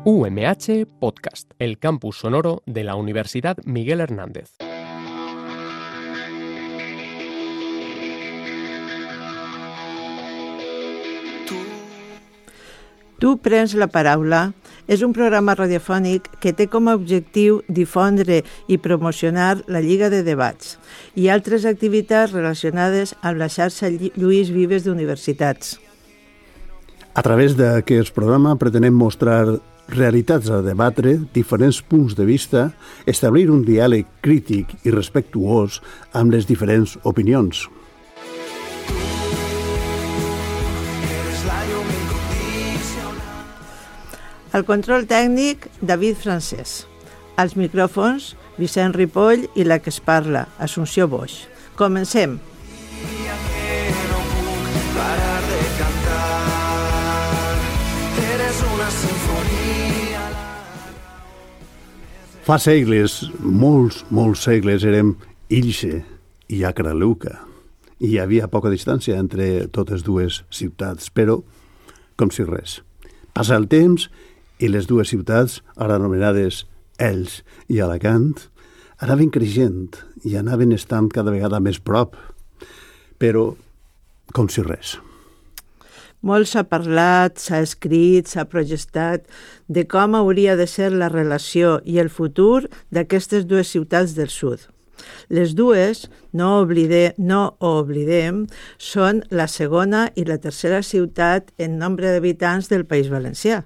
UMH Podcast, el campus sonoro de la Universidad Miguel Hernández. Tu prens la paraula és un programa radiofònic que té com a objectiu difondre i promocionar la Lliga de Debats i altres activitats relacionades amb la xarxa Lluís Vives d'universitats. A través d'aquest programa pretenem mostrar realitats a debatre, diferents punts de vista, establir un diàleg crític i respectuós amb les diferents opinions. Al control tècnic, David Francès. Als micròfons, Vicent Ripoll i la que es parla, Assumpció Boix. Comencem. Fa segles, molts segles, érem Ilse i Acraluca. I hi havia poca distància entre totes dues ciutats, però com si res. Passa el temps i les dues ciutats, ara anomenades Elx i Alacant, anaven creixent i anaven estant cada vegada més prop, però com si res. Molt s'ha parlat, s'ha escrit, s'ha progestat de com hauria de ser la relació i el futur d'aquestes dues ciutats del sud. Les dues, no ho oblidem, són la segona i la tercera ciutat en nombre d'habitants del País Valencià.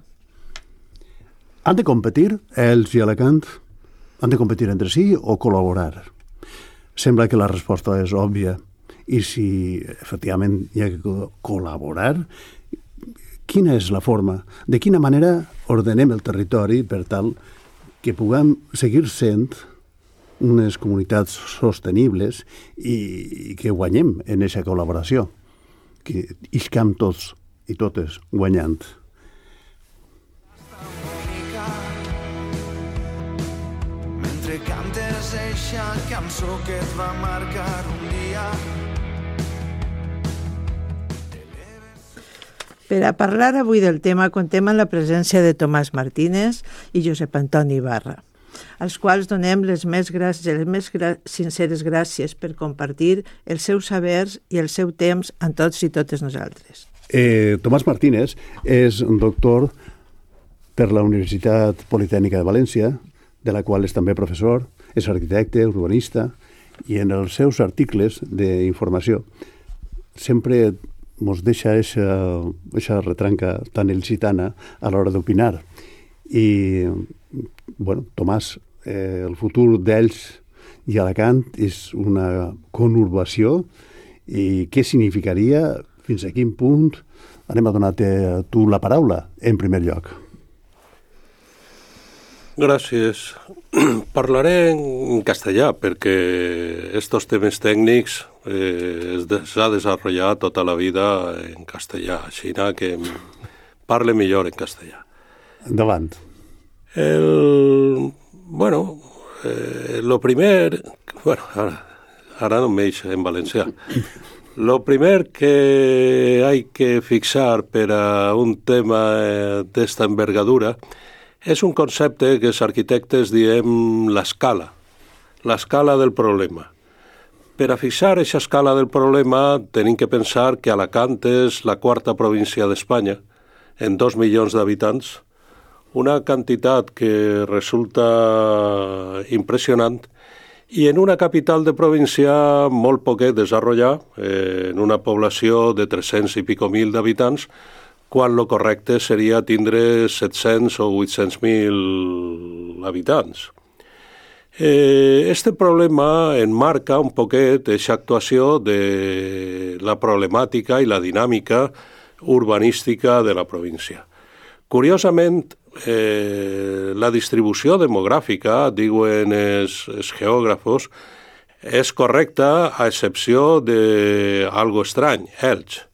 Han de competir, Elx i Alacant? Han de competir entre si o col·laborar? Sembla que la resposta és òbvia. I si efectivament hi ha que col·laborar, quina és la forma? De quina manera ordenem el territori per tal que puguem seguir sent unes comunitats sostenibles i que guanyem en aquesta col·laboració, que iscam tots i totes guanyant. Mentre cantes eixa cançó que et va marcar un dia. Per a parlar avui del tema, contem amb la presència de Tomàs Martínez i Josep Antoni Ibarra, als quals donem les més sinceres gràcies per compartir els seus sabers i el seu temps amb tots i totes nosaltres. Tomàs Martínez és un doctor per la Universitat Politècnica de València, de la qual és també professor, és arquitecte, urbanista, i en els seus articles d'informació sempre ens deixa aquesta retranca tan il·licitana a l'hora d'opinar. I, Tomàs, el futur d'Elx i Alacant és una conurbació i què significaria, fins a quin punt? Anem a donar-te tu la paraula, en primer lloc. Gràcies. Parlaré en castellà perquè estos temes tècnics s'ha desenvolupat tota la vida en castellà, així que parle millor en castellà. Endavant. Lo primer... Ara no m'eix en valencià. Lo primer que hay que fixar per a un tema d'esta envergadura és un concepte que els arquitectes diem l'escala del problema. Per a fixar aquesta escala del problema tenim que pensar que Alacant és la quarta província d'Espanya, en 2 milions d'habitants, una quantitat que resulta impressionant i en una capital de província molt poquet desenvolupada, en una població de 300 i pico mil d'habitants, quan lo correcte seria tindre 700 o 800.000 habitants. Este problema enmarca un poquet aquesta actuació de la problemàtica i la dinàmica urbanística de la província. Curiosament, la distribució demogràfica, diuen els geògrafos, és correcta a excepció d'algo estrany, Elx.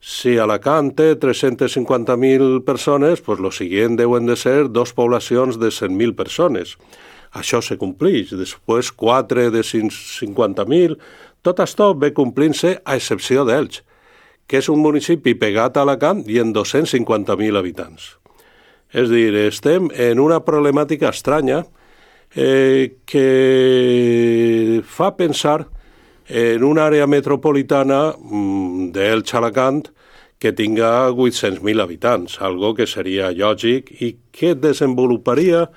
Si Alacant té 350.000 persones, pues lo siguiente deuen de ser 2 poblacions de 100.000 persones. Això se complix. Després 4 de 50.000. Tot això ve complint-se a excepció d'Elx, que és un municipi pegat a Alacant i en 250.000 habitants. És a dir, estem en una problemàtica estranya que fa pensar en una àrea metropolitana d'Elx-Alacant que tinga 800.000 habitants, algo que seria lògic i que desenvoluparia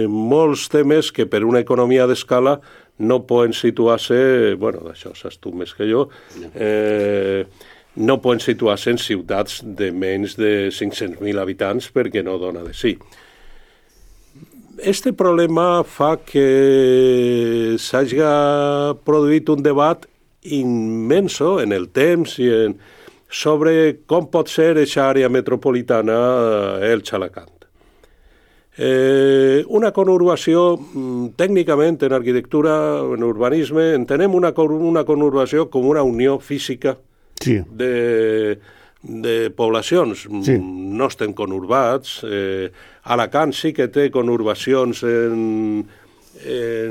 molts temes que per una economia d'escala no poden situar-se, bueno, d'això saps tu més que jo, no poden situar-se en ciutats de menys de 500.000 habitants perquè no dona de sí. Este problema fa que s'hagi produït un debat immenso en el temps i sobre com pot ser aquesta àrea metropolitana Elx-Alacant. Una conurbació, tècnicament en arquitectura, en urbanisme, entenem una conurbació com una unió física de poblacions. Sí. No estem conurbats. Alacant sí que té conurbacions en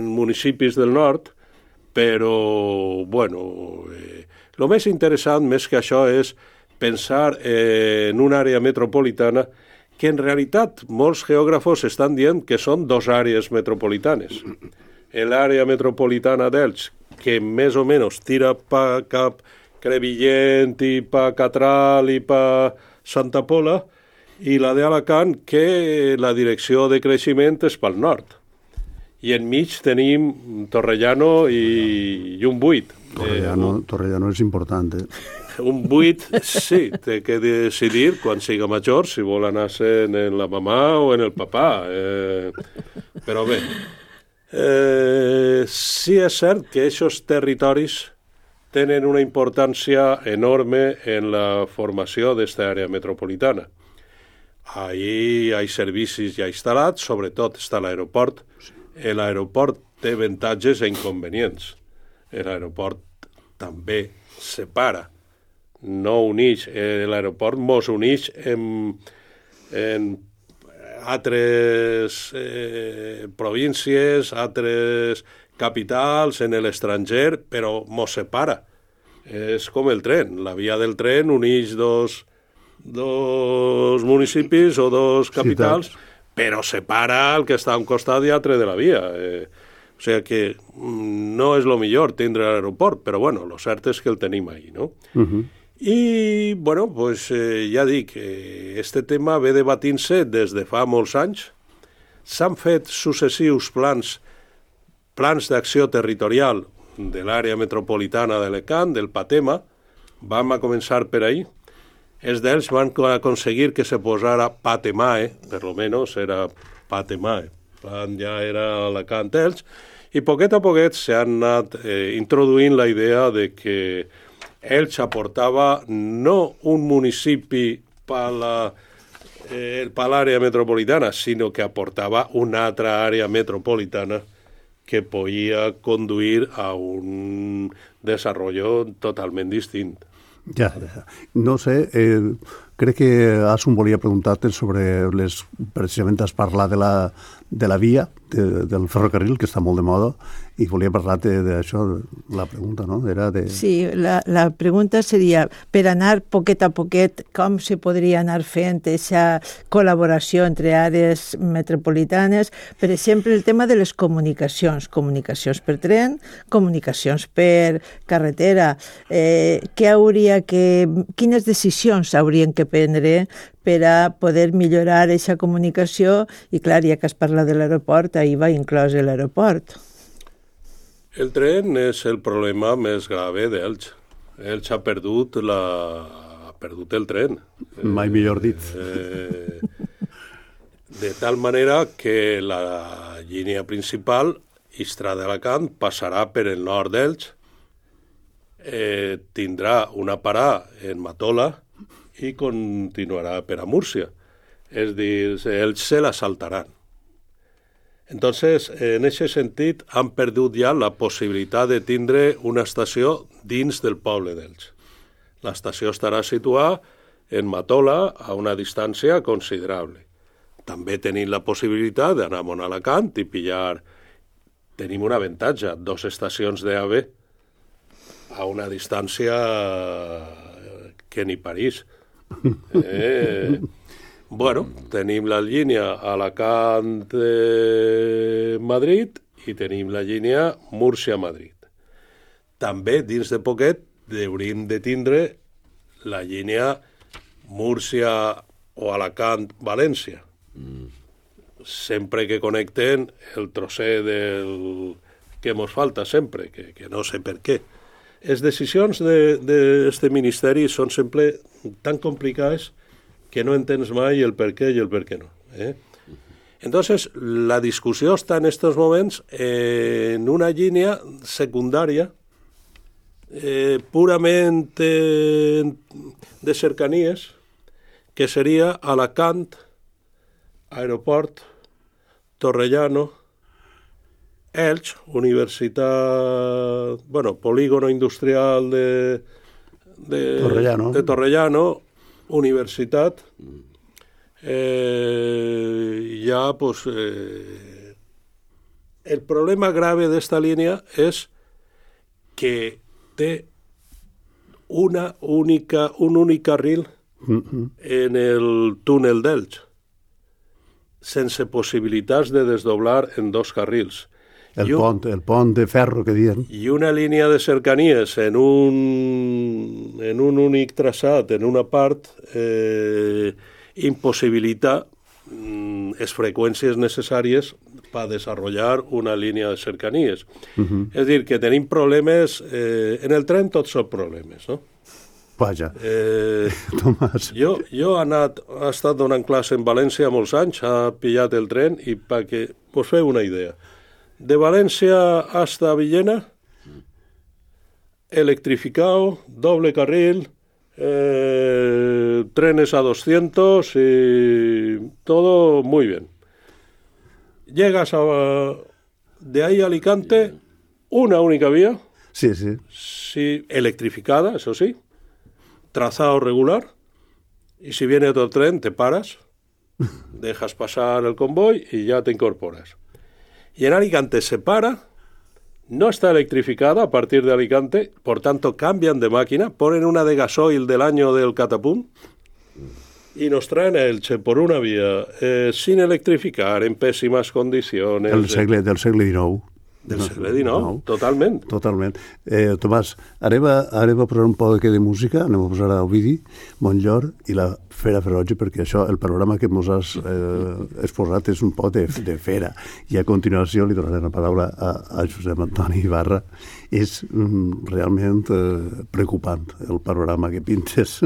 municipis del nord, però, bueno, el més interessant, més que això, és pensar en una àrea metropolitana que en realitat molts geògrafos estan dient que són dos àrees metropolitanes. L'àrea metropolitana d'Elx, que més o menys tira pa cap Crevillent i pa Catral i pa Santa Pola, i la d'Alacant, que la direcció de creixement és pel nord. I enmig tenim Torrellano i un buit. Torrellano és important, Un buit, sí, té que decidir quan siga major si vol anar-se'n en la mamà o en el papà. Però bé, sí és cert que aquests territoris tenen una importància enorme en la formació d'esta àrea metropolitana. Ahí hi ha servicis ja instal·lats, sobretot està l'aeroport. L'aeroport té avantatges i inconvenients. L'aeroport també separa, no uneix. L'aeroport mos uneix en altres províncies, altres capitals, en l'estranger, però mos separa. És com el tren. La via del tren uneix dos municipis o dos capitals, però separa el que està a un costat i altre de la via. O sigui que no és el millor tindre l'aeroport, però bueno, lo cert és que el tenim ahí, no? I, bueno, pues ja dic, este tema ve debatint-se des de fa molts anys. S'han fet successius plans d'acció territorial de l'àrea metropolitana d'Alacant, del PATEMA. Vam a començar per ahí. Els d'ells van aconseguir que se posara PATEMAE, per lo menos era PATEMAE, ja era Alacant-Elx, i poquet a poquet s'han anat introduint la idea de que Elx aportava no un municipi per l'àrea metropolitana, sinó que aportava una altra àrea metropolitana que podia conduir a un desarrollo totalment distint. Ja. No sé, crec que Asun volia preguntar-te sobre precisament has parlat de la via, del ferrocarril, que està molt de moda, i volia parlar-te d'això, la pregunta, no? Era de... Sí, la pregunta seria, per anar poquet a poquet, com se podria anar fent aquesta col·laboració entre àrees metropolitanes? Per exemple, el tema de les comunicacions per tren, comunicacions per carretera. Quines decisions haurien que prendre per a poder millorar aquesta comunicació? I clar, ja que es parla de l'aeroport, ahir va inclòs l'aeroport. El tren és el problema més grave d'Elx. Elx ha perdut el tren. Mai millor dit. De tal manera que la línia principal, Istra-d'Alacant, passarà per el nord d'Elx, tindrà una parada en Matola i continuarà per a Múrcia. És dir, Elx se la saltaran. Entonces, en aquest sentit, han perdut ja la possibilitat de tindre una estació dins del poble d'Elx. L'estació estarà situada en Matola a una distància considerable. També tenim la possibilitat d'anar a Alacant i pillar... Tenim un avantatge, 2 estacions d'AVE a una distància que ni París. Bueno, tenim la línia Alacant-Madrid i tenim la línia Múrcia-Madrid. També, dins de poquet, hauríem de tindre la línia Múrcia o Alacant-València. Sempre que connecten el trosset que ens falta sempre, que no sé per què. Les decisions d'aquest ministeri són sempre tan complicades que no entens mai el per què i el per què no. Entonces, la discussió està en estos moments en una línia secundària purament de cercanies, que seria Alacant, Aeroport, Torrellano, Elx, Universitat, Polígono Industrial de Torrellano, Universitat, el problema grave d'esta línia és que té un únic carril en el túnel d'Elx, sense possibilitats de desdoblar en dos carrils. El pont de ferro que diuen. I una línia de cercanies en un únic traçat, en una part, impossibilita les freqüències necessàries per desenvolupar una línia de cercanies. És a dir, que tenim problemes... en el tren tots són problemes, no? Vaja, Tomàs. Jo he estat donant classe en València molts anys, he pillat el tren i perquè us feu una idea. De Valencia hasta Villena, electrificado, doble carril, trenes a 200 y todo muy bien. Llegas de ahí a Alicante, una única vía, sí, electrificada, eso sí, trazado regular, y si viene otro tren te paras, dejas pasar el convoy y ya te incorporas. Y en Alicante se para, no está electrificada a partir de Alicante, por tanto cambian de máquina, ponen una de gasoil del año del catapum y nos traen a Elche por una vía sin electrificar, en pésimas condiciones. Del segle XIX. Del segle XIX, totalment. Totalment. Tomàs, anem a posar un poc de música, anem a posar a Ovidi, Montllor i la Fera Ferotge, perquè això, el panorama que ens has exposat és un poc de fera. I a continuació li donaré la paraula a Josep Antoni Ibarra. És realment preocupant el panorama que pintes.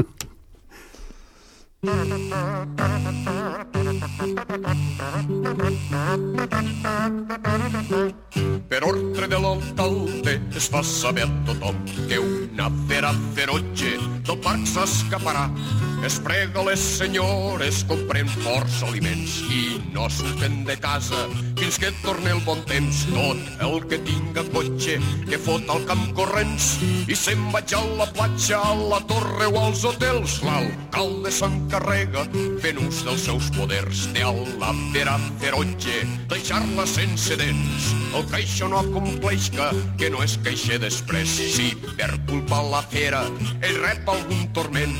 Per ordre de l'alcalde es fa saber a tothom que una fera ferotge del parc s'escaparà. Es prega les senyores, compren força aliments i no surten de casa fins que torni el bon temps. Tot el que tinga cotxe que fot al camp corrents i se'n vaig a la platja, a la torre o als hotels. L'alcalde s'encarrega fent ús dels seus poders de a la fera ferotge, deixar-la sense dents. El que això no acompleixca, que no es queixe després, si per culpa la fera ell rep algun torment.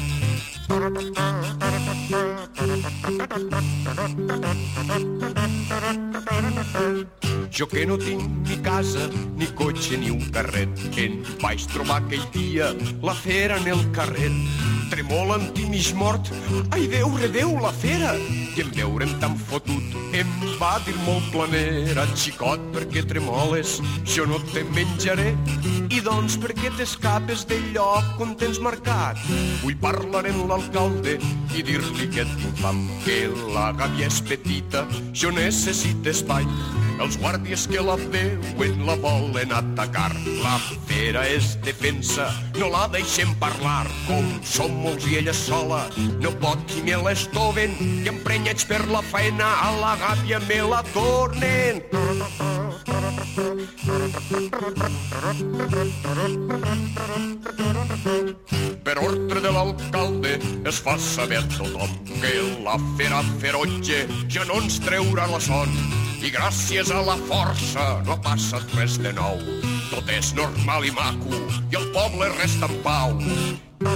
Jo que no tinc ni casa, ni cotxe, ni un carret, que em vaig trobar aquell dia la fera en el carrer. Tremolant i mig mort, ai Déu, redeu la fera, i en veure'm tan fotut em va dir molt planera: xicot, per què tremoles? Jo no te menjaré. I doncs per què t'escapes del lloc on tens marcat? Vull parlar amb l'alcalde i dir-li que tinc fam, que la gàbia és petita, jo necessito espai. Els guàrdies que la veuen la volen atacar. La fera és defensa, no la deixem parlar. Com som molts i ella sola, no pot qui me l'estoven, i emprenyats per la faena a la gàbia me la tornen. Per ordre de l'alcalde es fa saber a tothom que la fera ferotge ja no ens treurà la son. I gràcies a la força no ha passat res de nou. Tot és normal i maco i el poble resta en pau. Bé,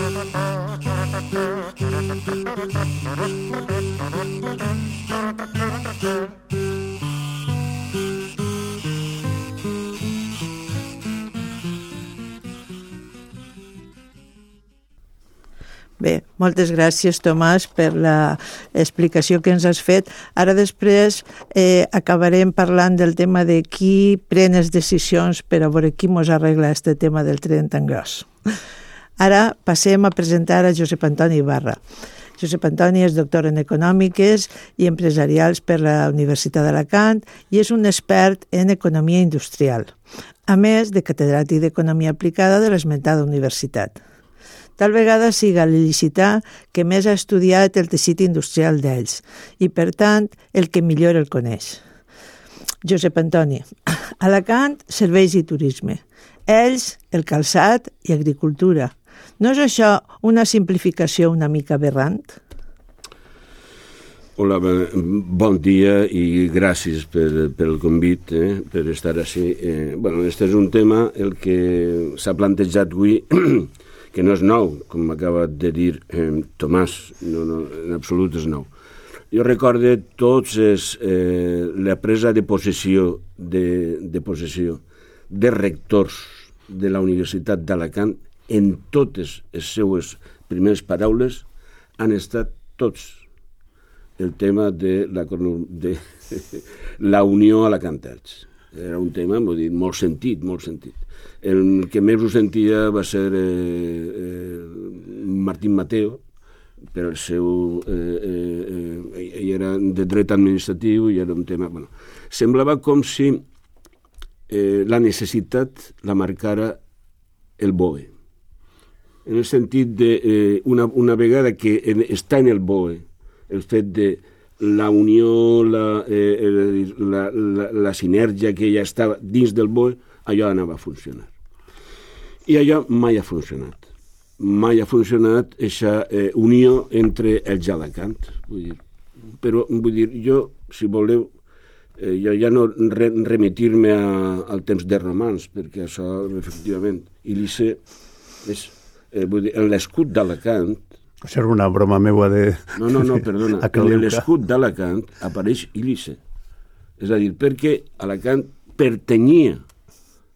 moltes gràcies, Tomàs, per l'explicació que ens has fet. Ara després acabarem parlant del tema de qui pren les decisions per a veure qui mos arregla aquest tema del tren tan gros. Ara passem a presentar a Josep Antoni Ibarra. Josep Antoni és doctor en Econòmiques i Empresarials per la Universitat d'Alacant i és un expert en economia industrial, a més de catedràtic d'Economia Aplicada de l'esmentada universitat. Tal vegada siga l'il·licità que més ha estudiat el teixit industrial d'ells i, per tant, el que millor el coneix. Josep Antoni, Alacant, serveis i turisme. Ells, el calçat i agricultura. No és això una simplificació una mica aberrant? Hola, bon dia i gràcies pel convit, per estar així. Este és un tema el que s'ha plantejat avui, que no és nou, com m'acaba de dir Tomàs, no, en absolut és nou. Jo recordo tots la presa de possessió de rectors de la Universitat d'Alacant, en totes les seues primeres paraules han estat tots el tema de la Unió Alacantats. Era un tema, molt sentit, molt sentit. El que més ho sentia va ser Martín Mateo, però el seu... ell era de dret administratiu i era un tema... Semblava com si la necessitat la marcara el BOE. En el sentit de una vegada que està en el BOE, el fet de la unió, la sinergia que ja estava dins del BOE, allò anava a funcionar. I allò mai ha funcionat. Mai ha funcionat aquesta unió entre els Alacant. Però, jo, si voleu, jo ja no remitir-me al temps de romans, perquè això, efectivament, Ilice és l'escut d'Alacant. Això era una broma meua de... No, perdona. En l'escut d'Alacant apareix Ilice. És a dir, perquè Alacant pertanyia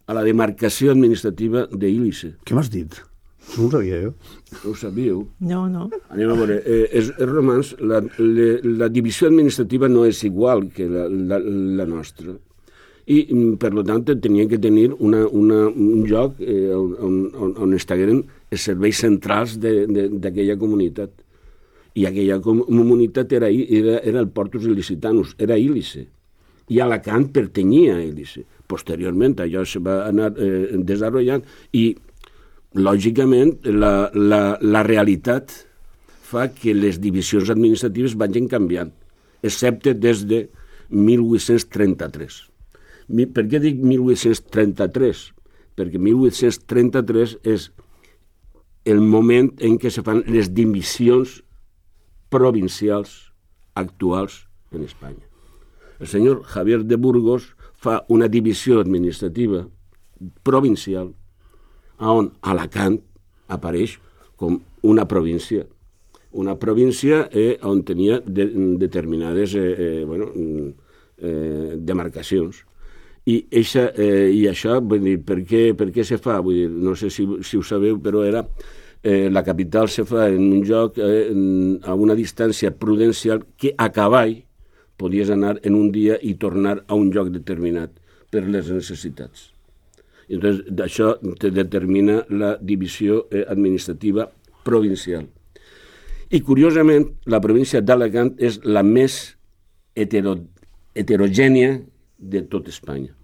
a la demarcació administrativa d'Ilice. Què m'has dit? No ho sabia, No ho sabíeu? No. Anem a veure. Els romans, la divisió administrativa no és igual que la nostra. I, per tant, tenien que tenir un lloc on estaven els serveis centrals d'aquella comunitat. I aquella comunitat era el Portus Ilicitanus, era Ilice. I Alacant pertanyia a Ilice. Posteriorment, allò se va anar desenvolupant i, lògicament, la realitat fa que les divisions administratives vagin canviant, excepte des de 1833. Per què dic 1833? Perquè 1833 és el moment en què se fan les divisions provincials actuals en Espanya. El senyor Javier de Burgos fa una divisió administrativa provincial on Alacant apareix com una província. Una província on tenia determinades demarcacions. I això, vull dir, per què se fa? Vull dir, no sé si ho sabeu, però la capital se fa en un lloc a una distància prudencial que a cavall podies anar en un dia i tornar a un lloc determinat per les necessitats. I llavors, això te determina la divisió administrativa provincial. I, curiosament, la província d'Alacant és la més heterogènia de tot Espanya.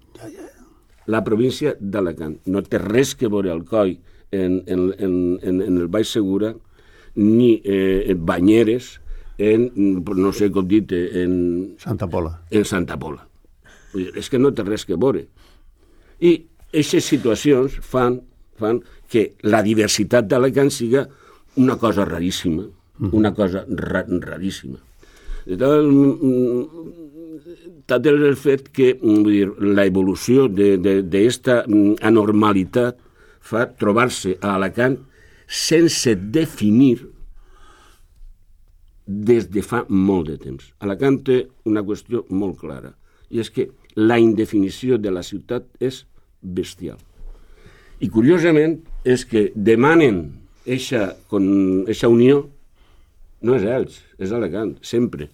La província d'Alacant. No té res que veure Alcoi en el Baix Segura, ni Banyeres, no sé com dit, en Santa Pola. En Santa Pola. És que no té res que veure. I aquestes situacions fan que la diversitat d'Alacant siga una cosa raríssima, una cosa raríssima. Tal és el fet que l'evolució d'aquesta anormalitat fa trobar-se a Alacant sense definir des de fa molt de temps. Alacant té una qüestió molt clara, i és que la indefinició de la ciutat és bestial. I curiosament és que demanen eixa unió, no és Elx, és Alacant, sempre.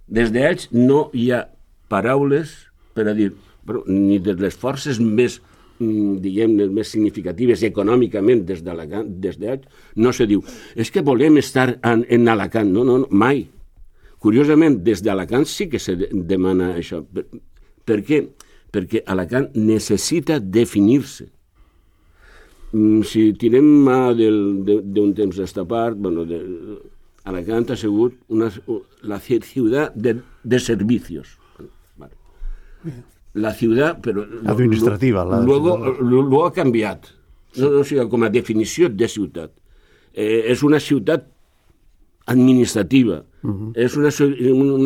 Des d'Elx no hi ha paraules per a dir, però, ni de les forces més, diguem-ne, més significatives econòmicament des d'Alacant, des d'Elx, no se diu, és que volem estar en Alacant. No, mai. Curiosament, des d'Alacant sí que se demana això. Per què? Perquè Alacant necessita definir-se. Si tirem mà d'un temps d'esta part, bueno, Alacant ha sigut la ciutat de servicios. La ciutat, però... Administrativa. Luego ha canviat. O sigui, com a definició de ciutat. És una ciutat administrativa, és una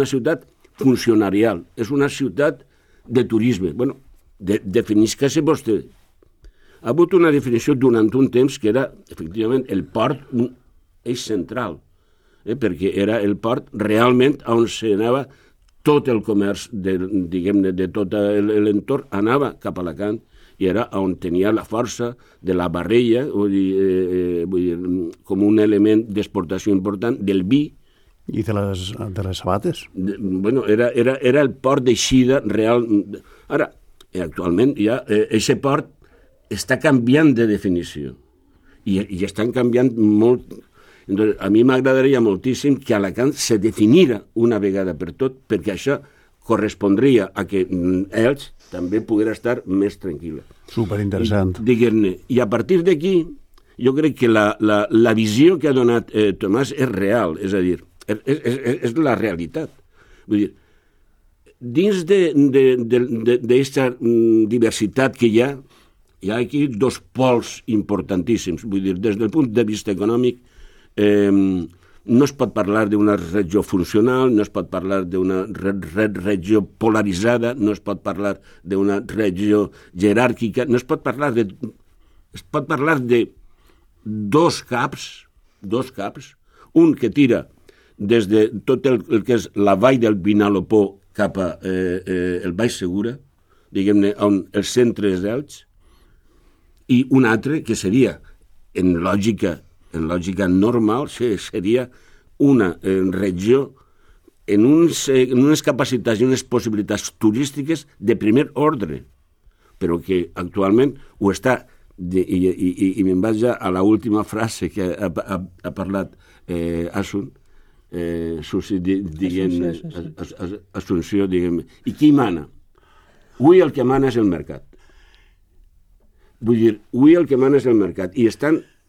ciutat funcionarial, és una ciutat de turisme. Bueno, definisca-se vostè. Ha hagut una definició durant un temps que era, efectivament, el port, un eix central, perquè era el port realment on s'anava tot el comerç, diguem-ne, de tot l'entorn, anava cap a Alacant, i era on tenia la força de la barrella, vull dir, com un element d'exportació important del vi. I de les sabates? Bueno, era el port d'eixida real. Ara, actualment, ja, aquest port està canviant de definició i estan canviant molt. Entonces, a mi m'agradaria moltíssim que Alacant se definira una vegada per tot, perquè això correspondria a que ells també poguera estar més tranquil·la. Superinteressant. Diguem-ne. I a partir d'aquí, jo crec que la visió que ha donat Tomàs és real, és a dir, és la realitat. Vull dir, dins d'aquesta diversitat que hi ha aquí dos pols importantíssims. Vull dir, des del punt de vista econòmic, no es pot parlar d'una regió funcional, no es pot parlar d'una regió polaritzada, no es pot parlar d'una regió jeràrquica, no es pot parlar de... Es pot parlar de dos caps, un que tira des de tot el que és la vall del Vinalopó cap a el Baix Segura, diguem-ne, on el centre és d'Elx, i un altre que seria, en lògica normal, seria una regió en unes capacitats i unes possibilitats turístiques de primer ordre, però que actualment ho està, i me'n vaig a l'última frase que ha parlat Asun, Assunció, diguem-ne. I qui mana? Avui el que mana és el mercat. Vull dir, avui el que mana és el mercat, i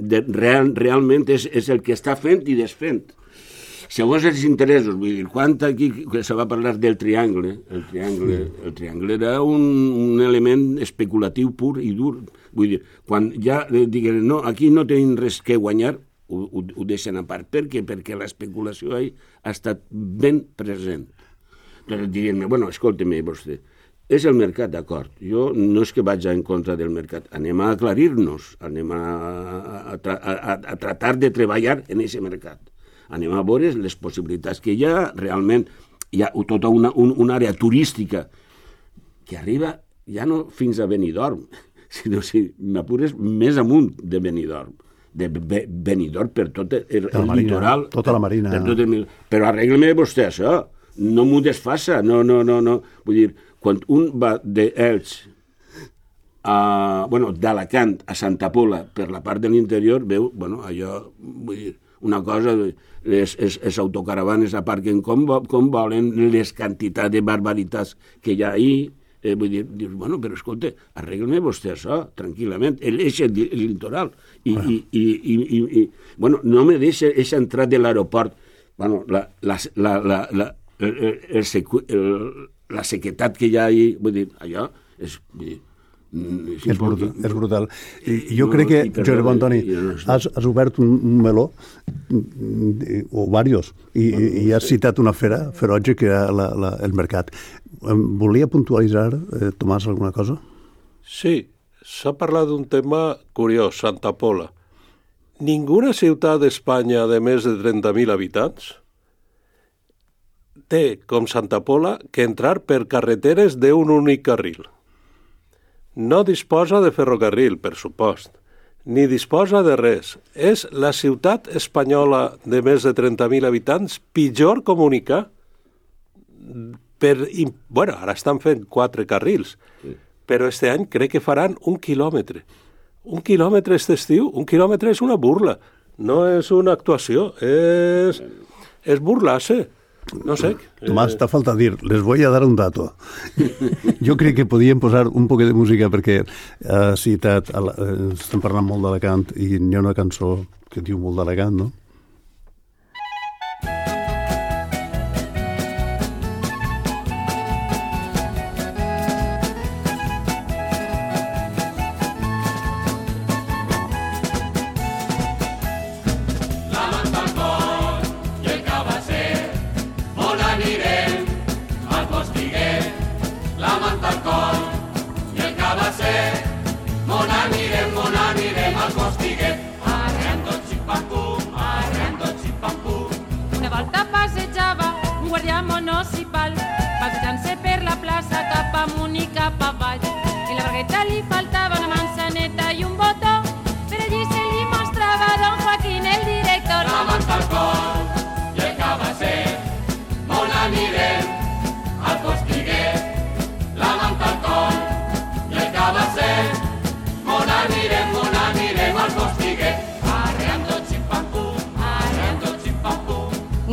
realment és el que està fent i desfent. Segons els interessos, vull dir, quan aquí se va parlar del triangle, el triangle era un element especulatiu pur i dur. Vull dir, quan ja diguem, no, aquí no tenim res que guanyar, ho deixen a part. Per què? Perquè l'especulació ha estat ben present. Doncs diguem-me, bueno, escolta-me vostè, és el mercat, d'acord. Jo no és que vaig en contra del mercat. Anem a aclarir-nos, anem a tratar de treballar en aquest mercat. Anem a veure les possibilitats que hi ha. Realment hi ha tota una àrea turística que arriba ja no fins a Benidorm, sinó, si m'apures, més amunt de Benidorm. De Benidorm per tot el litoral. Tota la marina. Però arregla-me vostè això. No m'ho desfassa. No. Vull dir, quan un va d'Elx d'Alacant a Santa Pola per la part de l'interior, veu, allò, vull dir, una cosa, les autocaravanes aparquen com volen, les quantitats de barbaritats que hi ha ahí, vull dir, dius, però escolta, arregla-me vostè això, tranquil·lament, és el litoral, i no me deixa entrar de l'aeroport, la sequetat que hi ha ahí, vull dir, allò és brutal. I jo crec que, Josep Antoni, has obert un meló, o diversos, i has citat una fera ferotge que era el mercat. Volia puntualitzar, Tomàs, alguna cosa? Sí, s'ha parlat d'un tema curiós, Santa Pola. ninguna ciutat d'Espanya de més de 30.000 habitants té, com Santa Pola, que entrar per carreteres d'un únic carril. No disposa de ferrocarril, per supost, ni disposa de res. És la ciutat espanyola de més de 30.000 habitants pitjor comunicar. Bueno, ara estan fent 4 carrils, però este any crec que faran 1 quilòmetre. 1 quilòmetre este estiu, 1 quilòmetre és una burla, no és una actuació, és burlar-se. No sé. Tomàs, t'ha faltat dir, les voy a dar un dato. Jo crec que podíem posar un poquet de música perquè ha citat, estem parlant molt d'Alacant i hi ha una cançó que diu molt d'Alacant, no?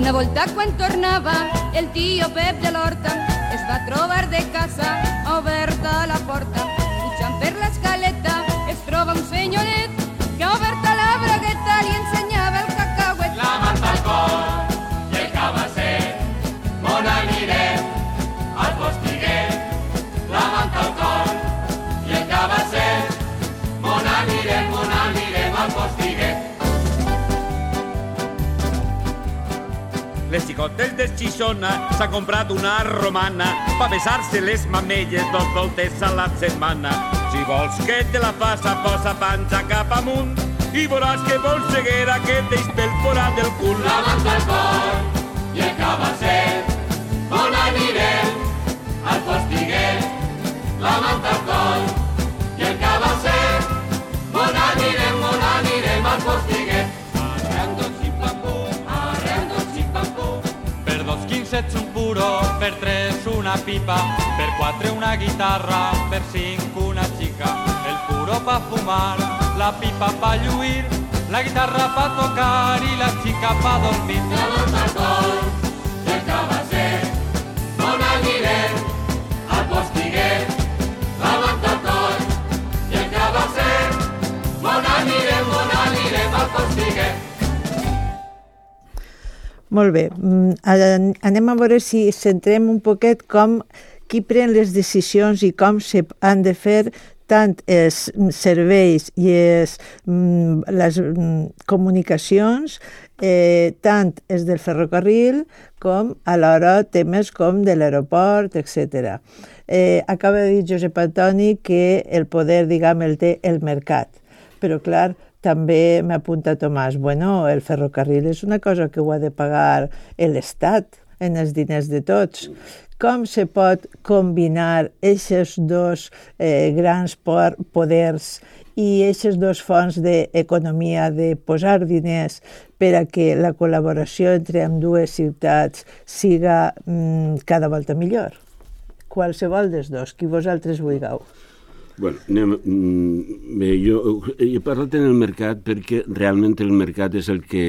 Una volta quan tornava el tio Pep de l'Horta es va trobar de casa oberta la porta. Pujant per l'escaleta es troba un senyoret que ha oberta la bragueta li ensenyava el cacauet. La manta al cor i el cabasser, on anirem? Al postiguet. La manta al cor i el cabasser, on anirem al postiguet. Les xicotes de Xixona s'ha comprat una romana pa besar-se les mamelles 2 voltes a la setmana. Si vols que te la faça, posa panxa cap amunt i veuràs que vols ceguera que t'eix pel forat del cul. La manta al cor i el cabasser, on anirem? Al postiguet. La manta al cor i el cabasser, on anirem al postiguet. Ets un puro, per 3 una pipa, per 4 una guitarra, per 5 una xica. El puro pa fumar, la pipa pa lluir, la guitarra pa tocar i la xica pa dormir. La manta al cor i el cabasser, on anirem? Al postiguet. La manta al cor i el cabasser, on anirem al postiguet. Molt bé, anem a veure si centrem un poquet qui pren les decisions i com se han de fer tant els serveis i les comunicacions, tant els del ferrocarril com alhora temes com de l'aeroport, etc. Acaba de dir Josep Antoni que el poder, diguem, el té el mercat, però clar, també m'apunta Tomàs, bueno, el ferrocarril és una cosa que ho ha de pagar l'Estat en els diners de tots. Com se pot combinar aquests 2 grans poders i aquestes 2 fonts d'economia, de posar diners per a que la col·laboració entre ambdues ciutats siga cada volta millor? Qualsevol dels 2, qui vosaltres vulgueu. Bueno, jo he parlat en el mercat perquè realment el mercat és el que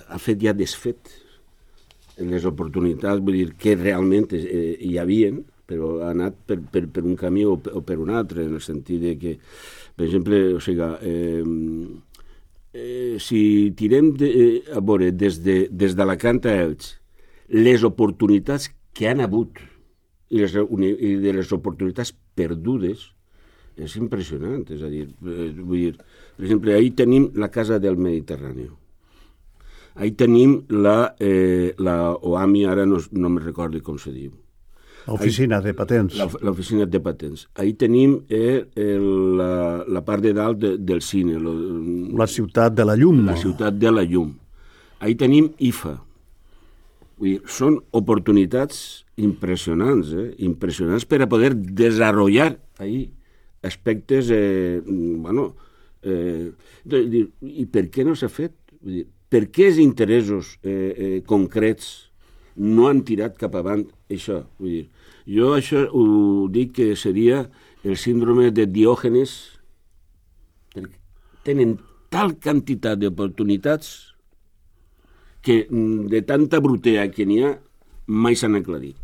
ha fet i ha desfet les oportunitats, vull dir que realment hi havien, però ha anat per un camí o per un altre, en el sentit de que, per exemple, o sigui, si tirem a veure des d'Alacant a Elx les oportunitats que han hagut i de les oportunitats perdudes és impressionant. És a dir, vull dir, per exemple, ahir tenim la Casa del Mediterrani. Ahir tenim la OAMI, ara no me recordo com se diu. L'oficina de patents. L'oficina de patents. Ahí tenim la part de dalt del cine. La ciutat de la llum. La ciutat de la llum. Ahí tenim IFA. Vull dir, són oportunitats impressionants, impressionants per a poder desenvolupar ahí aspectes, i per què no s'ha fet? Vull dir, per què els interessos concrets no han tirat cap avant això? Vull dir, jo això ho dic que seria el síndrome de Diògenes. Tenen tal quantitat d'oportunitats que de tanta brutea que n'hi ha mai s'han aclarit.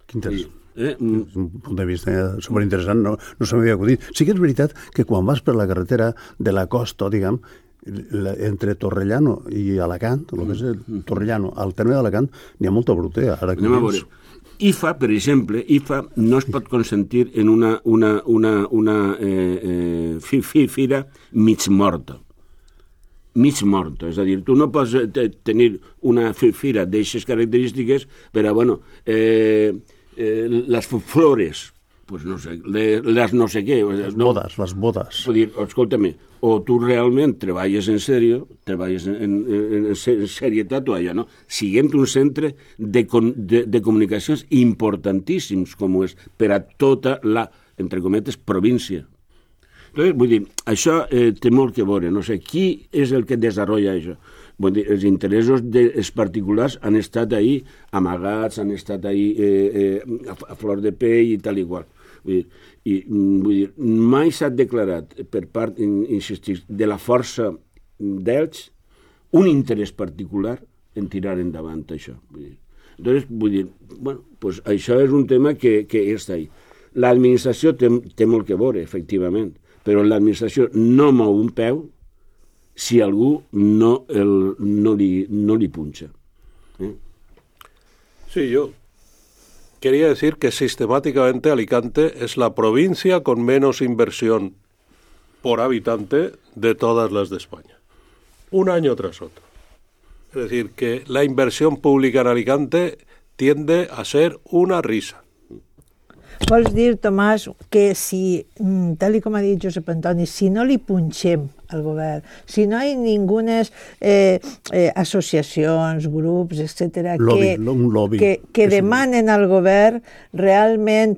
Que interessant. Un punt de vista superinteressant, no se m'havia acudit. Sí que és veritat que quan vas per la carretera de la costa, diguem, entre Torrellano i Alacant, el que és Torrellano, al terme d'Alacant, n'hi ha molta brutea. Anem a veure. IFA, per exemple, no es pot consentir en una fira mig morta. Mig morta, és a dir, tu no pots tenir una fira d'aixes característiques per a, les flores, pues no sé, les no sé què. Les bodes. Vull dir, escolta-me, o tu realment treballes en sèrio, treballes en serietat o allò, no? Siguem un centre de comunicacions importantíssims, com és per a tota la, entre cometes, província. Entonces, vull dir, això té molt que veure, no sé, qui és el que desenvolupa això? Vull dir, els interessos dels particulars han estat ahí amagats, han estat ahí a flor de pell i tal i qual. Vull dir, mai s'ha declarat per part, insistir, de la força d'ells un interès particular en tirar endavant això. Entonces, vull dir, pues això és un tema que està ahí. L'administració té molt que veure, efectivament, però l'administració no mou un peu si algú no li punxa. Sí, yo quería decir que sistemáticamente Alicante es la provincia con menos inversión por habitante de todas las de España. Un año tras otro. Es decir, que la inversión pública en Alicante tiende a ser una risa. Vols dir, Tomàs, que si, tal com ha dit Josep Antoni, si no li punxem al govern, si no hi ha ningunes associacions, grups, etc., que demanen al govern, realment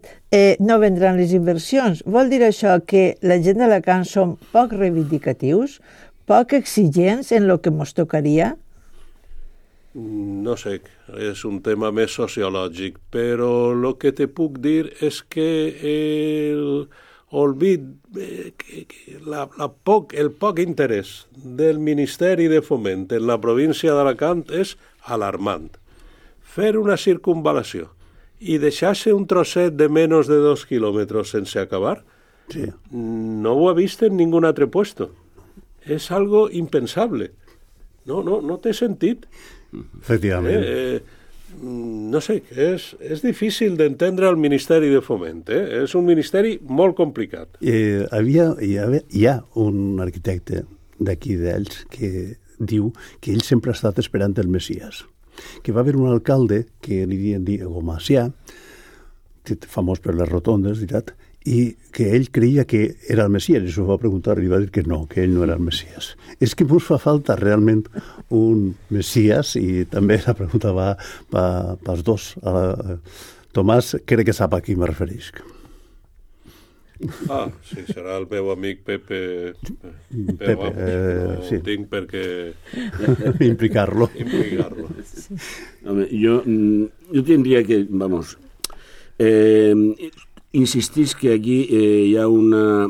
no vendran les inversions. Vol dir això que la gent d'Alacant som poc reivindicatius, poc exigents en el que ens tocaria? No sé, es un tema més sociològic, però lo que te puc dir és que el poc interès del Ministeri de Foment en la província d'Alacant és alarmant. Fer una circunvalació i deixar-se un trosset de menys de 2 quilòmetres sense acabar, sí. No ho ha vist en ningún altre puesto. És algo impensable. No té sentit. Efectivament. No sé, és difícil d'entendre el Ministeri de Foment. És un ministeri molt complicat. Hi ha un arquitecte d'aquí d'ells que diu que ell sempre ha estat esperant el Messies. Que va haver un alcalde que li diuen Macià, famós per les rotondes, i que ell creia que era el Messies, i s'ho va preguntar i va dir que no, que ell no era el Messies. És que ens fa falta realment un Messies, i també la pregunta va pels dos. Tomàs crec que sap a qui me referisc. Sí, serà el meu amic Pepe. Sí. Tinc per què implicar-lo. Home, jo tindria que, insistís que aquí hi ha una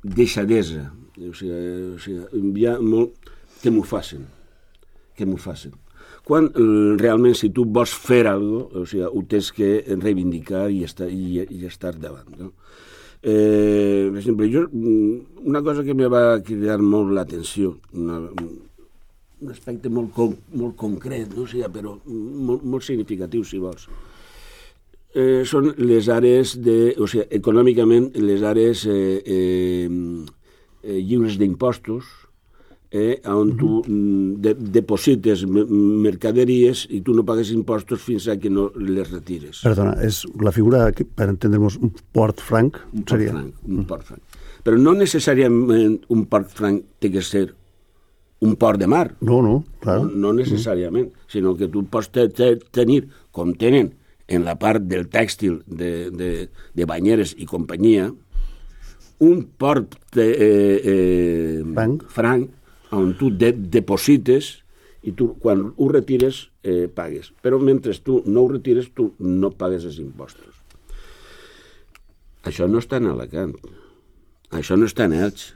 deixadesa, o sigui, hi ha molt que m'ho facin. Quan realment si tu vols fer alguna cosa, o sigui, ho tens que reivindicar i estar davant. No? Per exemple, una cosa que me va cridar molt l'atenció, un aspecte molt concret, no? O sigui, però molt significatiu, si vols. Són les àrees econòmicament les àrees lliures d'impostos on tu deposites mercaderies i tu no pagues impostos fins a que no les retires. Perdona, és la figura, per entendre'ns, un port franc? Un port franc. Però no necessàriament un port franc té que ser un port de mar. No, clar. No necessàriament, sinó que tu pots tenir, com tenen en la part del tèxtil de banyeres i companyia, un port franc on tu deposites i tu quan ho retires pagues. Però mentre tu no ho retires tu no pagues els impostos. Això no està en Alacant. Això no està en Elx.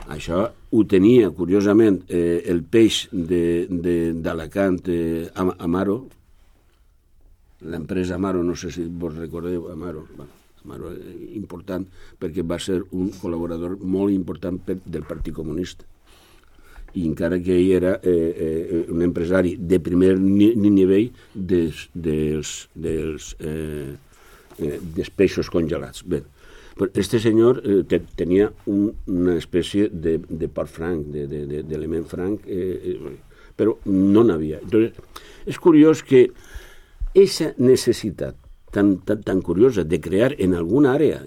Això ho tenia, curiosament, el peix d'Alacant, Amaro, l'empresa Amaro, no sé si vos recordeu, Amaro important, perquè va ser un col·laborador molt important del Partit Comunista. I encara que ell era un empresari de primer nivell dels peixos congelats. Bé, este senyor tenia una espècie de port franc, d'element franc, però no n'havia. Entonces, és curiós que aquesta necessitat tan curiosa de crear en alguna àrea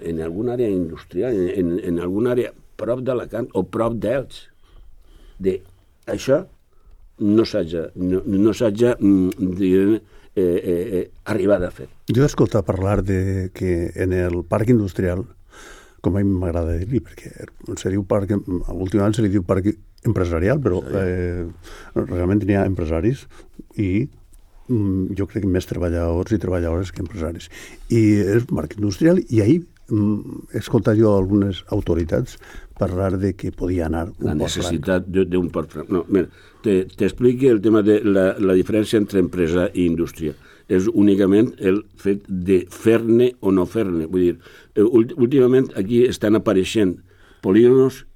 industrial, en alguna àrea prop d'Alacant o prop d'Elx, això no s'hagi arribat a fer. Jo he escoltat parlar de que en el parc industrial, com a mi m'agrada dir-li, perquè se diu parc, últimament se li diu parc empresarial, però realment n'hi ha empresaris i jo crec que més treballadors i treballadores que empresaris. I és un parc industrial i ahir he escoltat jo algunes autoritats parlar de que podia anar un port franc. La necessitat d'un port franc. No, mira, t'expliqui el tema de la diferència entre empresa i indústria. És únicament el fet de fer-ne o no fer-ne. Vull dir, últimament aquí estan apareixent polígonos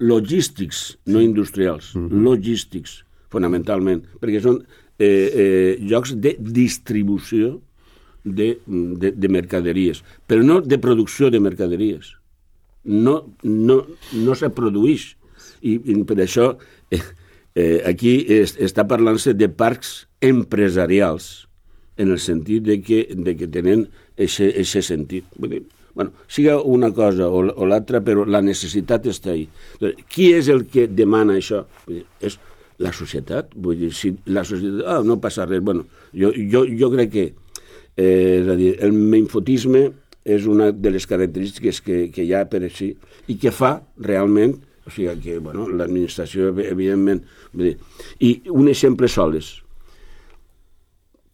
logístics, no industrials, logístics, fonamentalment, perquè són llocs de distribució de mercaderies, però no de producció de mercaderies. No se produeix. I per això aquí està parlant-se de parcs empresarials, en el sentit de que tenen aquest sentit. Bueno, siga una cosa o l'altra, però la necessitat està ahí. Qui és el que demana això? És la societat. Vull dir, si la societat... no passa res. Bueno, jo crec que el menfotisme és una de les característiques que hi ha per així i que fa realment, o sigui que l'administració, evidentment... I un exemple soles.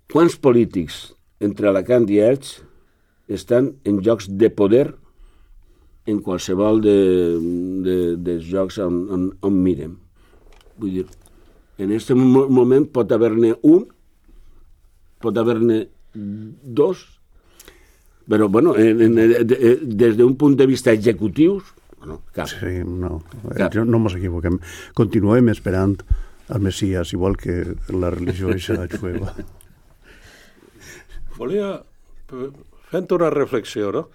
Quants polítics entre Alacant i Elx estan en llocs de poder en qualsevol dels llocs on mirem? Vull dir, en aquest moment pot haver-ne un, pot haver-ne dos, però, des d'un punt de vista executiu, cap. Sí, no ens equivoquem. Continuem esperant el Messias, igual que la religió eixa jueva. Volia, fent una reflexió, no?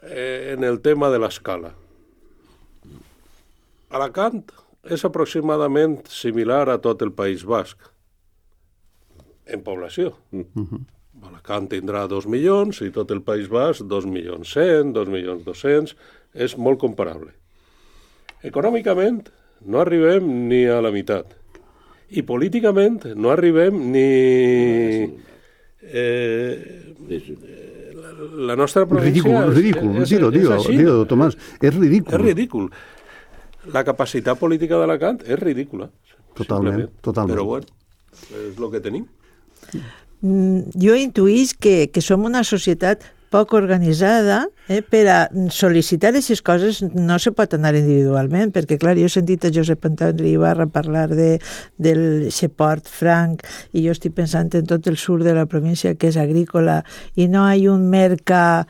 En el tema de l'escala. Alacant és aproximadament similar a tot el País Basc, en població. Alacant tindrà 2 milions i tot el País Basc 2.100.000, 2.200.000, és molt comparable. Econòmicament no arribem ni a la meitat. I políticament no arribem ni... la nostra província... Ridícul, dilo, Tomàs, és ridícul. És ridícul. La capacitat política d'Alacant és ridícula. Totalment. Però bueno, és el que tenim. Jo intuïs que som una societat poc organitzada, per a sol·licitar aquestes coses no se pot anar individualment, perquè clar, jo he sentit a Josep Antoni Ibarra parlar del port franc i jo estic pensant en tot el sud de la província que és agrícola i no hi ha un mercat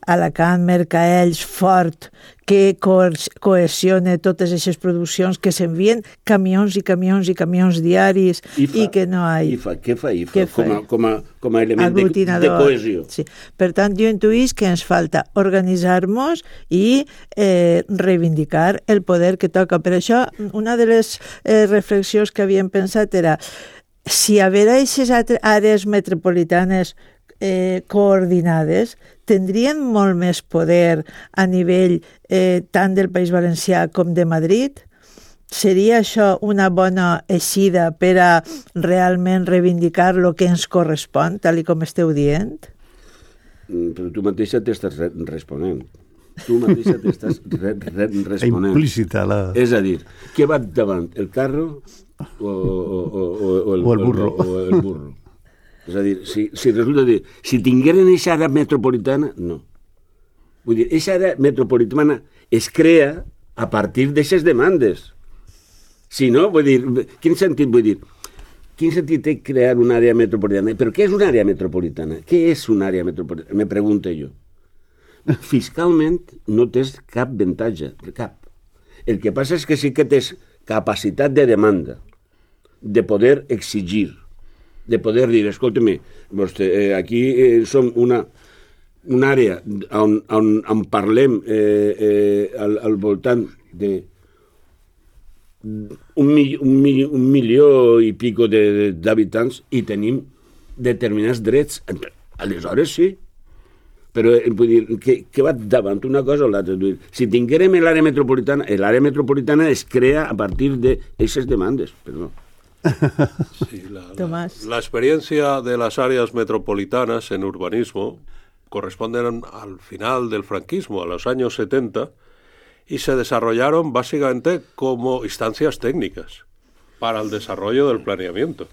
Alacant, Mercaells, Fort, que cohesiona totes aquestes produccions, que s'envien camions i camions i camions diaris i que no hi ha... Què fa IFA? Com a element de cohesió. Sí. Per tant, jo intuïs que ens falta organitzar-nos i reivindicar el poder que toca. Per això, una de les reflexions que havíem pensat era si haver aquestes àrees metropolitanes coordinades tindrien molt més poder a nivell tant del País Valencià com de Madrid? Seria això una bona eixida per a realment reivindicar el que ens correspon, tal com esteu dient? Però tu mateixa t'estàs responent. Tu mateixa t'estàs responent. Implícita la... És a dir, què va davant, el carro o el burro? És a dir, si resulta dir, si tingueren aquesta àrea metropolitana, no. Vull dir, aquesta àrea metropolitana es crea a partir d'aquestes demandes. Si no, vull dir, quin sentit vull dir? Quin sentit té crear una àrea metropolitana? Però què és una àrea metropolitana? Què és una àrea metropolitana? Me pregunto jo. Fiscalment no tens cap avantatge, cap. El que passa és que sí que tens capacitat de demanda, de poder exigir, de poder dir, escolta-me, aquí som una àrea on parlem al voltant de un milió i pico d'habitants i tenim determinats drets. Aleshores sí, però vull dir, que va davant una cosa o l'altra. Si tinguérem l'àrea metropolitana es crea a partir d'aquestes demandes, però no. Sí, la experiencia de las áreas metropolitanas en urbanismo corresponden al final del franquismo, a los años 70, y se desarrollaron básicamente como instancias técnicas para el desarrollo del planeamiento.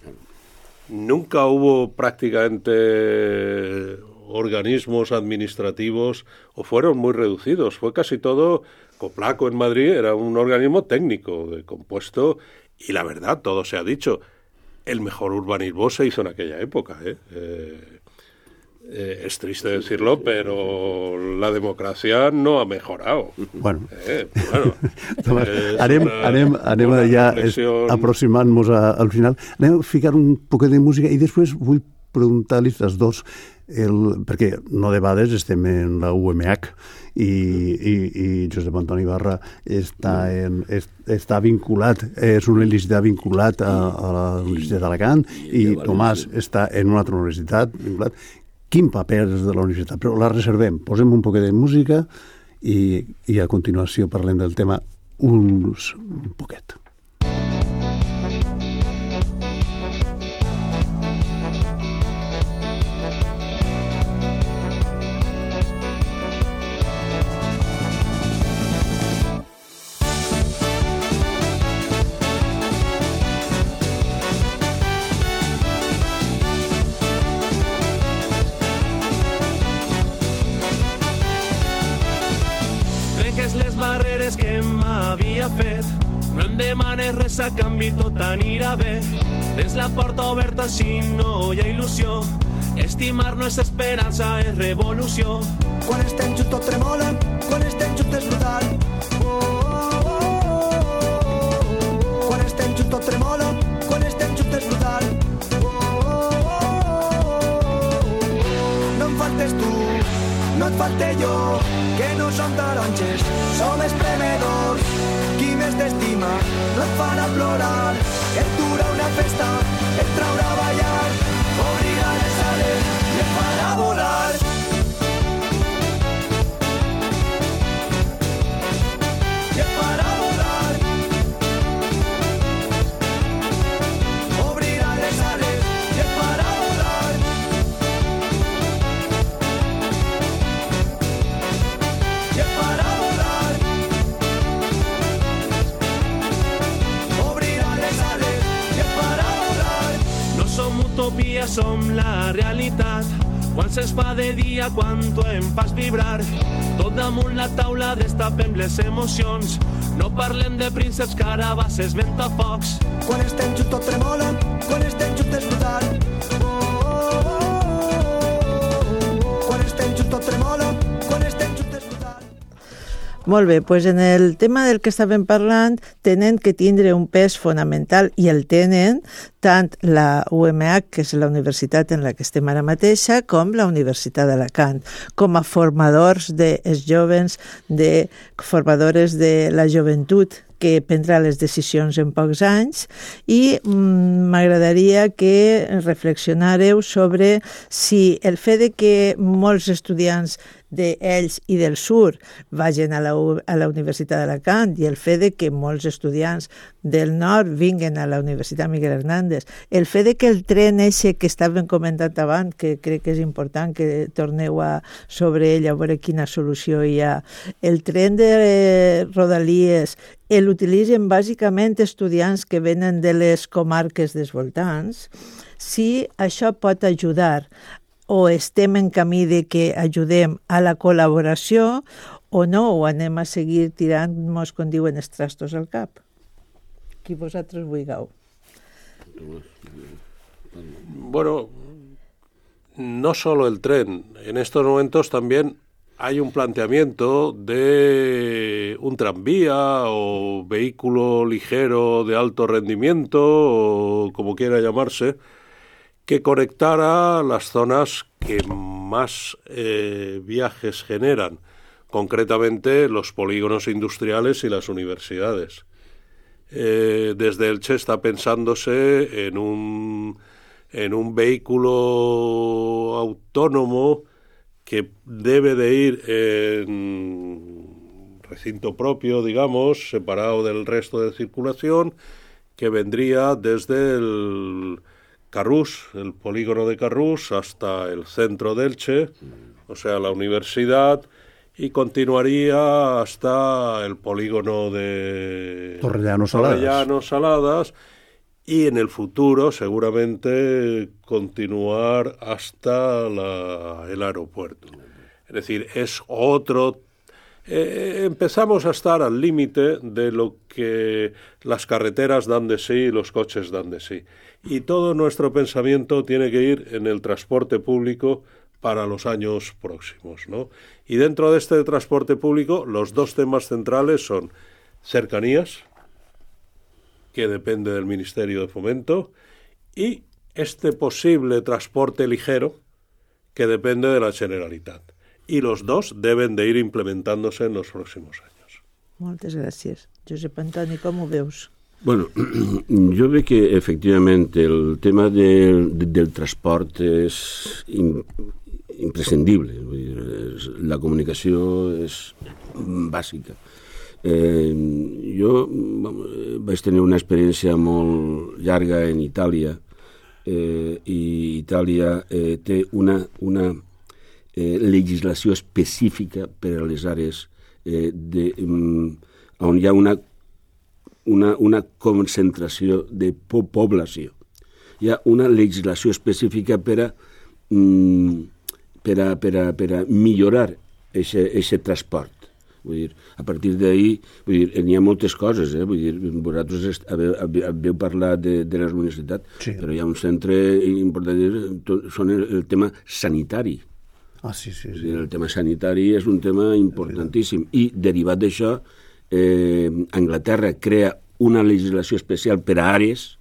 Nunca hubo prácticamente organismos administrativos, o fueron muy reducidos. Fue casi todo, Coplaco en Madrid era un organismo técnico compuesto. Y la verdad, todo se ha dicho, el mejor urbanismo se hizo en aquella época. Es triste decirlo, pero la democracia no ha mejorado. Bueno, anem ja aproximant-nos al final. Anem a ficar un poquet de música i després vull preguntar-los als dos, perquè no de vegades estem en la UMH i Josep Antoni Ibarra està vinculat, és una universitat vinculat a la Universitat d'Alacant i Tomàs està en una altra universitat vinculat. Quin paper és de la universitat? Però la reservem, posem un poquet de música i a continuació parlem del tema un poquet. Res a canvi, tot anirà bé. Tens la porta oberta si no hi ha il·lusió. Estimar no és esperança, és revolució. Quan estem junts tot tremola, quan estem junts és brutal. Quan estem junts tot tremola, quan estem junts és brutal. No em faltes tu, no et falte jo, que no som taronges, som espremedors. Qui més t'estima no et farà plorar, et durà una festa, et traurà a ballar, obrirà les ales i et farà volar. I et farà volar. Obrirà les ales i et farà volar. I et farà volar. Utopia som la realitat. Quan se'ns fa de dia, quan em fas vibrar, tot damunt la taula destapem les emocions. No parlem de prínceps, carabasses, ventafocs. Quan estem junts tot tremola, quan estem junts és brutal. Quan estem junts tot tremola, quan Molt bé, doncs en el tema del que estàvem parlant tenen que tindre un pes fonamental i el tenen tant la UMH, que és la universitat en la que estem ara mateixa, com la Universitat d'Alacant, com a formadors dels jovens, formadores de la joventut que prendrà les decisions en pocs anys, i m'agradaria que reflexionàreu sobre si el fet de que molts estudiants d'ells i del Sur vagin a la Universitat d'Alacant i el fet de que molts estudiants del Nord vinguen a la Universitat Miguel Hernández, el fet de que el tren eixe que estàvem comentant abans, que crec que és important que torneu sobre ell a veure quina solució hi ha, el tren de Rodalies l'utilitzen bàsicament estudiants que venen de les comarques dels voltants, si això pot ajudar o estem en camí de que ajudem a la col·laboració o no, o anem a seguir tirant-nos, com diuen, els trastos al cap. Qui vosaltres vulgueu. Bueno, no solo el tren. En estos momentos también hay un planteamiento de un tranvía o vehículo ligero de alto rendimiento, o como quiera llamarse, que conectara las zonas que más viajes generan, concretamente los polígonos industriales y las universidades. Desde Elche está pensándose en un vehículo autónomo que debe de ir en recinto propio, digamos, separado del resto de circulación, que vendría desde el Carrús, el polígono de Carrús, hasta el centro de Elche, o sea, la universidad, y continuaría hasta el polígono de Torrellano Saladas, y en el futuro seguramente continuar hasta el aeropuerto. Es decir, es otro... empezamos a estar al límite de lo que las carreteras dan de sí y los coches dan de sí. Y todo nuestro pensamiento tiene que ir en el transporte público para los años próximos, ¿no? Y dentro de este transporte público, los dos temas centrales son cercanías, que depende del Ministerio de Fomento, y este posible transporte ligero, que depende de la Generalitat. Y los dos deben de ir implementándose en los próximos años. Moltes gràcies. Josep Antoni, com ho veus? Bueno, jo veig que efectivament el tema del transport és imprescindible. La comunicació és bàsica. Jo vaig tenir una experiència molt llarga en Itàlia, i Itàlia té una legislació específica per a les àrees on hi ha una concentració de població. Hi ha una legislació específica per a millorar aquest transport. Vull dir, a partir d'ahir, n'hi ha moltes coses, vull dir, vosaltres haveu parlat de les universitats, sí, però hi ha un centre important, són el tema sanitari. Sí. El tema sanitari és un tema importantíssim, i derivat d'això, Anglaterra crea una legislació especial per a àrees,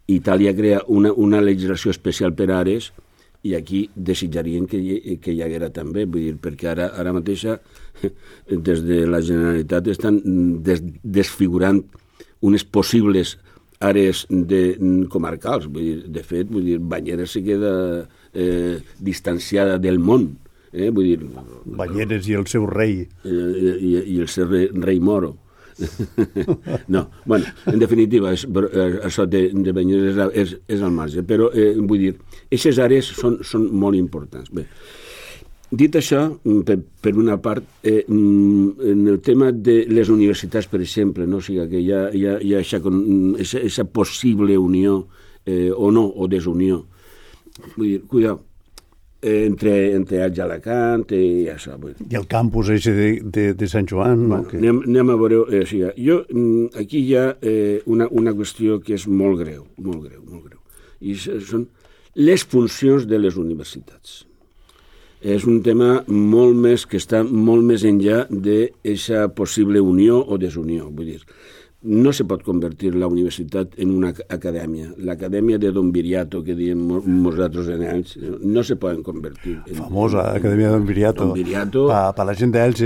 Itàlia crea una legislació especial per a àrees, i aquí desitjarien que hi haguera també, vull dir, perquè ara mateixa des de la Generalitat estan desfigurant unes possibles àrees comarcals. De fet, Banyeres se queda distanciada del món. Banyeres i el seu rei. I el seu rei moro. No, bueno, en definitiva, això de Banyeres és al marge, però vull dir, aquestes àrees són molt importants. Bé, dit això, per una part, en el tema de les universitats, per exemple, no? O sigui que hi ha aquesta possible unió o no, o desunió. Vull dir, cuidao, entre Elx i Alacant i això. I el campus de Sant Joan. No? Anem a veure. Aquí hi ha una qüestió que és molt greu, I són les funcions de les universitats. és un tema molt més que està molt més enllà d'aquesta possible unió o desunió. Vull dir, no se pot convertir la universitat en una acadèmia. L'acadèmia de Don Viriato, que diem nosaltres en Elx, no se poden convertir. Famosa acadèmia de Don Viriato. Don Viriato. Per la gent d'Elx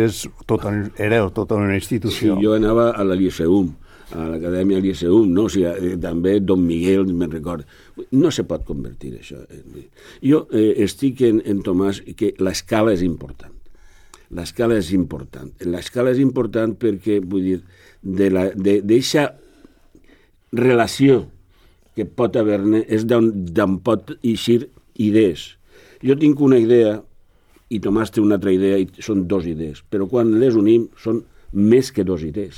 era tota una institució. Sí, jo anava a la Liceum, a l'acadèmia Liceum, no? O sigui, també Don Miguel, me'n recordo. No se pot convertir això. Jo estic en Tomàs que l'escala és important. L'escala és important. L'escala és important perquè, vull dir, d'aquesta relació que pot haver-ne és d'on pot eixir idees. Jo tinc una idea i Tomàs té una altra idea i són dues idees, però quan les unim són més que dues idees.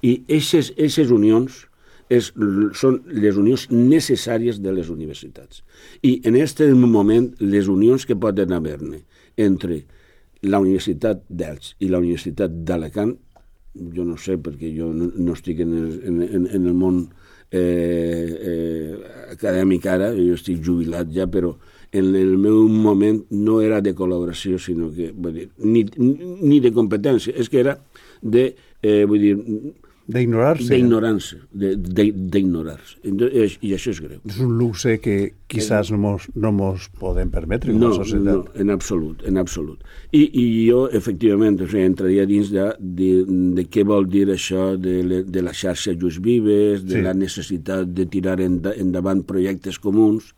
I aquestes unions són les unions necessàries de les universitats. I en aquest moment les unions que poden haver-ne entre la Universitat d'Elx i la Universitat d'Alacant, jo no sé perquè jo no estic en el món acadèmic ara, jo estic jubilat ja, però en el meu moment no era de col·laboració, sinó que, vull dir, ni de competència, és que era de, vull dir, d'ignorar-se. D'ignorar-se. I això és greu. És un luxe que quizás no mos podem permetre com a societat. No, en absolut, en absolut. I jo, efectivament, entraria dins de què vol dir això de la xarxa Just Vives, de la necessitat de tirar endavant projectes comuns,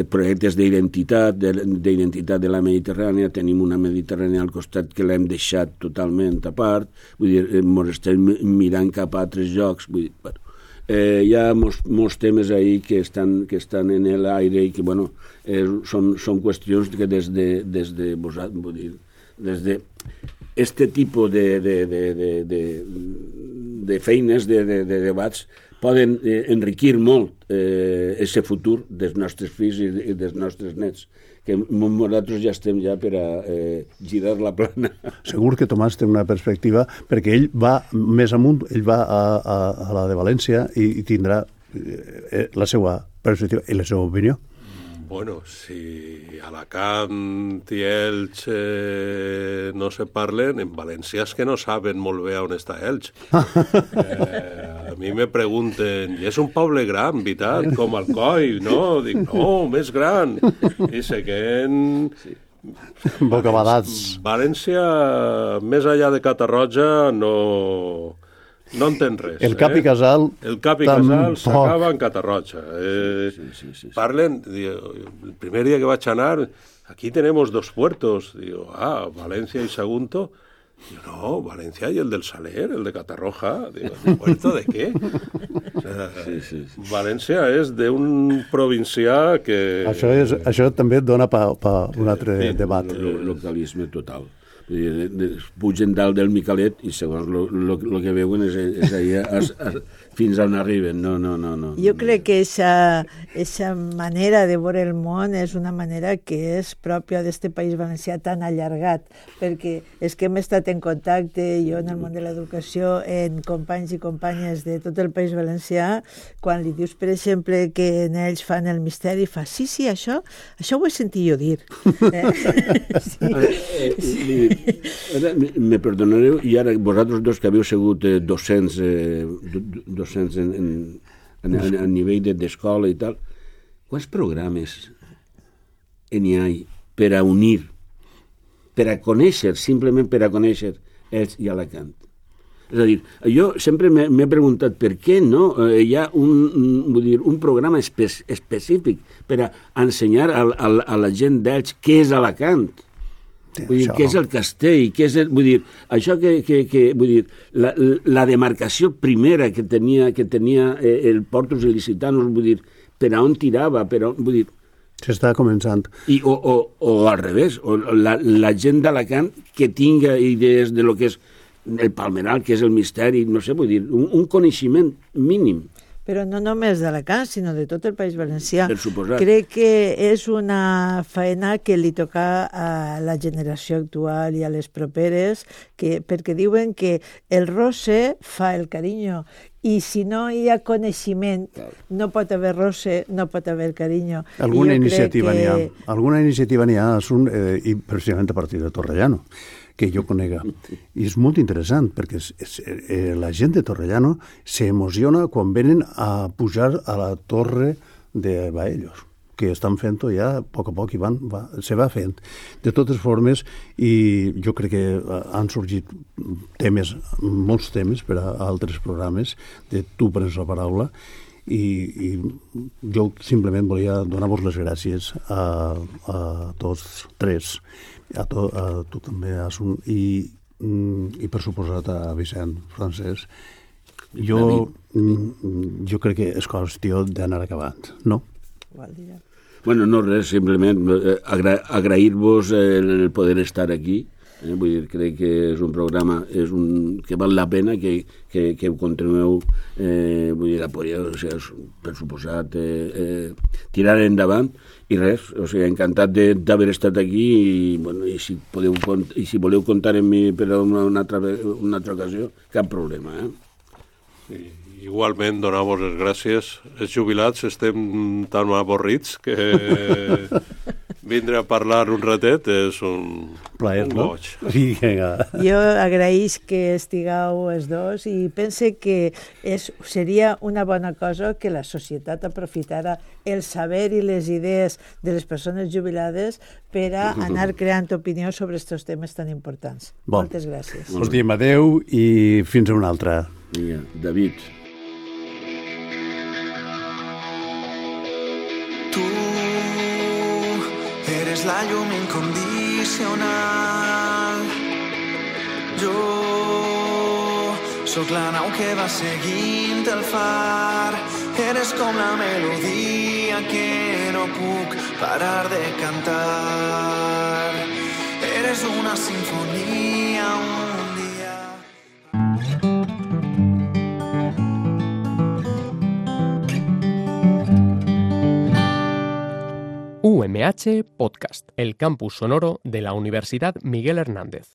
projectes d'identitat de la Mediterrània. Tenim una Mediterrània al costat que l'hem deixat totalment a part, vull dir, ens estem mirant cap a altres llocs. Vull dir, bueno, hi ha molts temes ahí que estan en l'aire i que, bueno, són qüestions que des de vosaltres, vull dir, des de este tipus de feines, de debats, poden enriquir molt aquest futur dels nostres fills i dels nostres nets, que nosaltres ja estem per a girar la plana. Segur que Tomàs té una perspectiva, perquè ell va més amunt, ell va a la de València i tindrà la seva perspectiva i la seva opinió. Bueno, si Alacant i Elx no se parlen, en València és que no saben molt bé on està Elx. A mi me pregunten, i és un poble gran, veritat, com Alcoi, no? Dic, no, més gran. I seguen... Bocabadats. València, més allà de Catarroja, no entén res. El Cap i Casal... El Cap i Casal s'acaba en Catarroja. Parlen, el primer dia que vaig anar, aquí tenemos 2 puertos. Digo, Valencia y Sagunto. Digo, no, Valencia y el del Saler, el de Catarroja. Digo, ¿puerto de qué? O sea, València és d'un provincià que... Això també dona per un altre debat. Localisme total. Pugen dalt del Micalet i segons el que veuen és allà fins on arriben. No. Jo crec que aquesta manera de veure el món és una manera que és pròpia d'este país valencià tan allargat, perquè és que hem estat en contacte, jo en el món de l'educació, en companys i companyes de tot el país valencià, quan li dius, per exemple, que en ells fan el misteri, fa, sí, això ho he sentit jo dir. Me perdonareu, i ara vosaltres dos que havíeu sigut docents a nivell d'escola i tal, quants programes n'hi ha per a unir, per a conèixer, simplement per a conèixer Elx i Alacant? És a dir, jo sempre m'he preguntat per què no hi ha un programa específic per a ensenyar a la gent d'Elx què és Alacant. Vull dir, què és el castell, què és vull dir, això vull dir, la demarcació primera que tenia el Portus Ilicitanos, vull dir, per a on tirava, vull dir... S'està començant. O al revés, la gent d'Alacant que tinga idees de lo que és el Palmeral, que és el misteri, no sé, vull dir, un coneixement mínim. però no només d'Alacant, sinó de tot el País Valencià. Per suposat. Crec que és una faena que li toca a la generació actual i a les properes, perquè diuen que el roce fa el carinyo, i si no hi ha coneixement, no pot haver roce, no pot haver carinyo. Alguna iniciativa n'hi ha. Alguna iniciativa n'hi ha, i precisament a partir de Torrellano, que jo conega. I és molt interessant, perquè la gent de Torrellano s'emociona quan venen a pujar a la torre de Baellos, que estan fent-ho ja a poc i se va fent. De totes formes, i jo crec que han sorgit molts temes per a altres programes, de Tu prens la paraula, i jo simplement volia donar-vos les gràcies a tots tres, a tu també, Asun, i per suposat a Vicent Francesc. Jo crec que és qüestió d'anar acabant, no? Bueno, no res, simplement agrair-vos el poder estar aquí. Vull dir, crec que és un programa que val la pena que ho continueu, vull dir, apoyeu, o sigui, per suposat, tirar endavant, i res, o sigui, encantat d'haver estat aquí, i, bueno, i si voleu comptar amb mi per a una altra ocasió, cap problema, Sí. Igualment, donar-vos les gràcies. Els jubilats estem tan avorrits que vindre a parlar un ratet és un plaer, no? goig. Sí, jo agraïs que estigueu els dos i pense que seria una bona cosa que la societat aprofitara el saber i les idees de les persones jubilades per a anar creant opinió sobre aquests temes tan importants. Moltes gràcies. Us diem adeu i fins a una altra. David. Tu eres la llum incondicional. Jo sóc la nau que va seguint el far. Eres com la melodia que no puc parar de cantar. Eres una sinfonia, un dia. UMH Podcast, el campus sonoro de la Universidad Miguel Hernández.